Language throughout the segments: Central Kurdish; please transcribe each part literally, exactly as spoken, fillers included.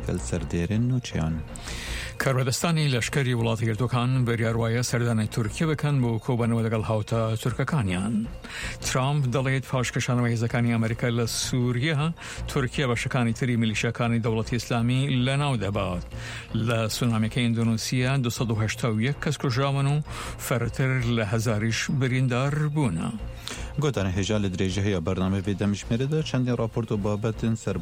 دگەل سەردێرن نوچەیان. کاربەدەستانی لەشکری وڵاتە یەکگرتووەکان بڕیار وایە سەردانی تورکیە بکەن بۆ کۆبەنەوە لەگەڵ هاوتا تورکەکانیان. ترامپ دەڵێت پاش کشانەوەی هێزەکانی ئەمریکا لە سووریا، تورکیا بەشەکانی تری میلیشیاکانی دەوڵەتی ئیسلامی لەناو دەبات. لە سونامیەکەی ئیندۆنیسیا دوو سەد و هەشتا و یەک کەس کوژراون و فرەتر لە هەزاریش بریندار بوونە. گوتانە هێژا لە درێژەهەیە بەرنامە vê demjimêrê de çendên raport û babetên ser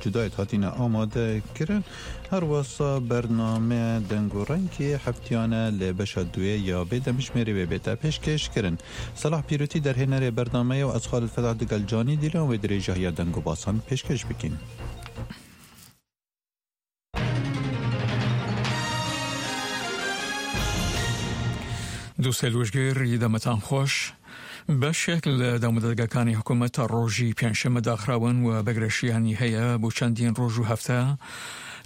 cudayê hatîne amade kirin. Her wisa bername deng û rengê heftiyane li beşa duyê ya vê demjimêrê wê bête pêşkêş kirin. Selah Pîrotî derhênerê bernameyê û ez Xalid Felah digel Canî Dîlan wê dirêjahiya deng û basan pêşkêş bikin. دووسێ لوژگر دەمەتان خۆش. بەشێک لە دامودەزگاکانی حکوومەت تا ڕۆژی پێنجشەممە داخراون و بەگرەشیانی هەیە بۆ چەندین ڕۆژ و هەفتە،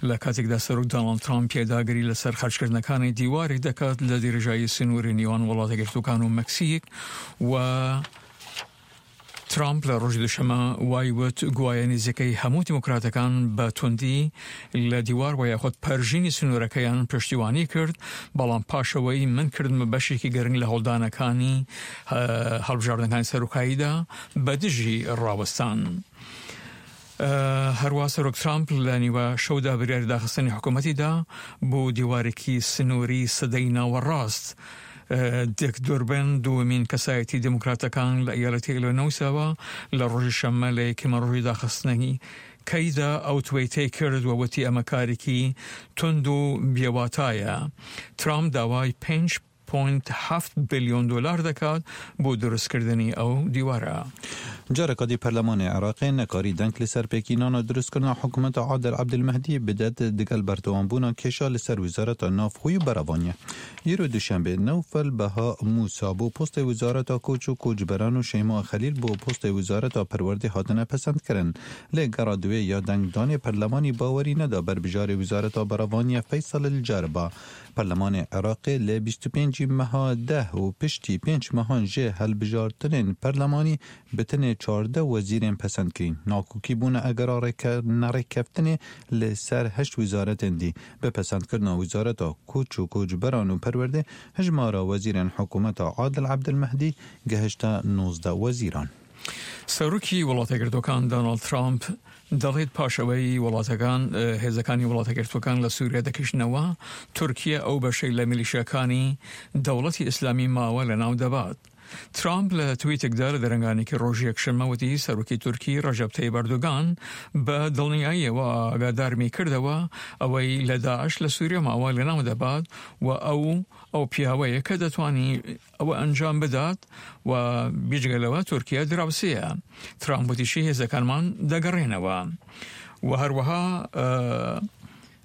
لە کاتێکدا سەرۆک دۆناڵد ترامپ پێداگری لەسەر خەرجکردنەکانی دیوارێک دەکات لە درێژایی سنووری نێوان وڵاتە یەکگرتووەکان و مەکسیک. و ترامپ لە ڕۆژی دوشەمە وای وت گوایە نزیکەی هەموو دیموکراتەکان بە توندی لە دیوار وە یاخود پەرژینی سنوورەکەیان پشتیوانی کرد، بەڵام پاشەوەی من کردمە بەشێکی گرنگ لە هەوڵدانەکانی هەڵبژاردنەکانی سەرۆکاییدا بە دژی ڕاوەستان. هەروە سەرۆک ترامپ لە نیوە شەودا بریاری داخستنی حکوومەتیدا بۆ دیوارێکی سنووری سەدەی ناوەڕاست. دیک دوربن دووەمین کەسایەتی دیموکراتەکان لە ئیالەتی ئیلینۆیسەوە لە ڕۆژی شەممە لە یەکەمە ڕۆژی داخستنی کەیدا ئەو تویتەی کرد و وتی ئەمە کارێکی توند و بێواتایە. ترامپ داوای پێنج پوینت هەفت بلیۆن دلار دەکات بۆ دروستکردنی ئەو دیوارە. جارەکە دی پەرلەمانی عێراقی نەکاری دەنگ لەسەر پێکینانە دروستکردنا حکوومەتە عادل عەبدولمەهدی بدات دگەل بەردەوامبوونا کێشا لەسەر وزارەتە ناوخۆی و بەرەڤانیە. ئیرۆ دوشەنبێ نەوفەل بەها موسا بۆ پۆستی وزارەتە کۆچ و کۆچبەران و شەیما خەلیل بۆ پۆستی وزارەتە پەروەردەی هاتنە پەسەندکردن. لێ گەڕا دوێ یا دەنگدانی پەرلەمانی باوەری نەدا بەربژاری وزارەتە بەرەڤانیە فەیسەڵ الجەربا. پەرلەمانی عێراقی لە بیست و پێنج مەها دە و پشتی پێنج مەهان ژێ هەڵبژاردنên پەرلەمانی بتنێ چواردە وەزیرên پەسەندکرین. ناکۆکی بوونە ئەگەرا نەڕێککەفتنێ لەسەر هەشت وزارەتên دی. بە پەسەندکردنا وزارەتە کۆچ و کۆچبەران و پەروەردە هەژمارە وەزیرên حکوومەتە عادل عەبدولمەهدی گەهشتە نۆزدە وەزیران. سەرۆکی وڵاتە یەکگرتووەکان دۆناڵد ترامپ دەڵێت پاشەوەی وڵاتەکان هێزەکانی وڵاتە یەکگرتووەکان لە سووریا دەکشنەوە، تورکیا ئەو بەشەی لە میلیشیاکانی دەوڵەتی ئیسلامی ماوە لەناو دەبات. ترامپ لە تویتێکدا لە دەرەنگانێکی ڕۆژی یەکشەممە وتی سەرۆکی تورکی ڕەجەب تەیب ئەردۆگان بە دڵنیاییەوە ئاگادارمی کردەوە ئەوەی لە داعش لە سووریا ماوە لەناو دەبات و ئەو ئەو پیاوەیە کە دەتوانی ئەوە ئەنجام بدات و بیجگە لەوە تورکیا دراوسەیە. ترامپ وتیشی هێزەکانمان دەگەڕێنەوە. و هەروەها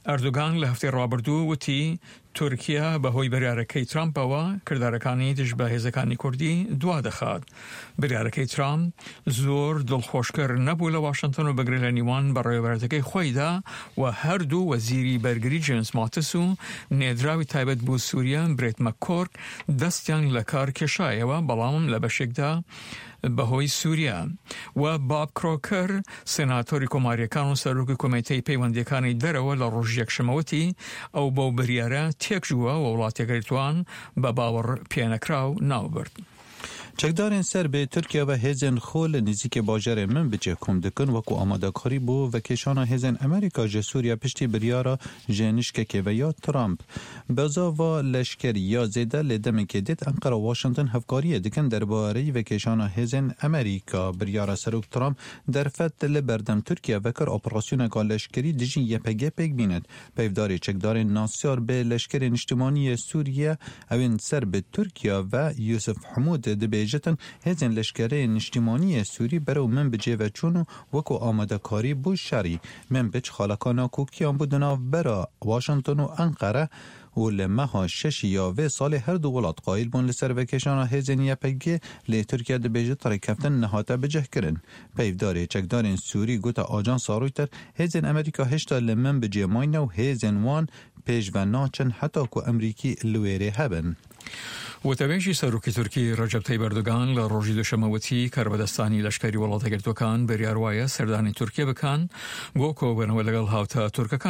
ئەردۆگان لە هەفتەی ڕابردوو وتی تورکیا بەهۆی بریارەکەی ترامپەوە کردارەکانی دژ بە هێزەکانی کوردی دوا دەخات. بریارەکەی ترامپ زۆر دڵخۆشکەر نەبوو لە واشنگتن و بگرێ لە نیوان بەڕێوەبەرەکەی خۆیدا و هەردوو وەزیری بەرگری جێمس ماتس و نێدراوی تایبەت بۆ سووریا برێت مەککۆرک دەستیان لە کار کێشایەوە، بەڵام لە بەشێکدا بەهۆی سووریا. و باب کرۆکەر سێناتۆری کۆماریەکان و سەرۆکی کۆمیتەی پەیوەندیەکانی دەرەوە لە ڕۆژی یەکشەممەوتی ئەو بەو بریارە تێکژووە و وڵاتە یەکگرتووان بە باوەڕ پێنەکراو ناوبرد. چەکدارên ser bi Tirkiye ve hêzên xwe li nêzîkê bajarê Minbicê kom dikin wekû amadekarî bo vekêşana hêzên Amerîka ji Sûriye piştî biryara ji nişkekê ve ya Trump. Bezava leşkerî ya zêde li demekê dêt Enqere û Washington hevkariyê dikin derbarê vekêşana hêzên Amerîka. Biryara Serok Trump derfet li berdem Tirkiye vekir operasyoneka leşkerî dijî Y P G pêk bînet. Peyvdarê çekdarên nasyar bi leşkerê niştimaniyê Sûriye ewên ser bi Tirkiye ve Yusuf Hemûd dibêje hêzên leşkerê niştimaniyê Sûrî berew Minbicê ve çûn û wekû amadekarî bû şerî. Minbic xaleka nakokiyan bû di navbera Washington û Enqere û li meha şeşî ya vê salê her du welat qayîl bûn li ser vekêşana hêzên Y P G lê Tirkiye dibêje rêkeftin nehate bicihkirin. Peyvdarê çekdarên Sûrî gote ajansa Reuters hêzên Amerîka hêşta li Minbicê mayne û hêzên wan pêş ve naçin heta ku Amerîkî li wêrê hebin. وتەبێژی سەرۆکی تورکی ڕەجەب تەیب ئەردۆگان لە ڕۆژی دوشەممە وتی کاربەدەستانی لەشکری وڵاتە یەکگرتووەکان بڕیار وایە سەردانی تورکیا بکەن بۆ کۆبوونەوە لەگەڵ هاوتا تورکەکان.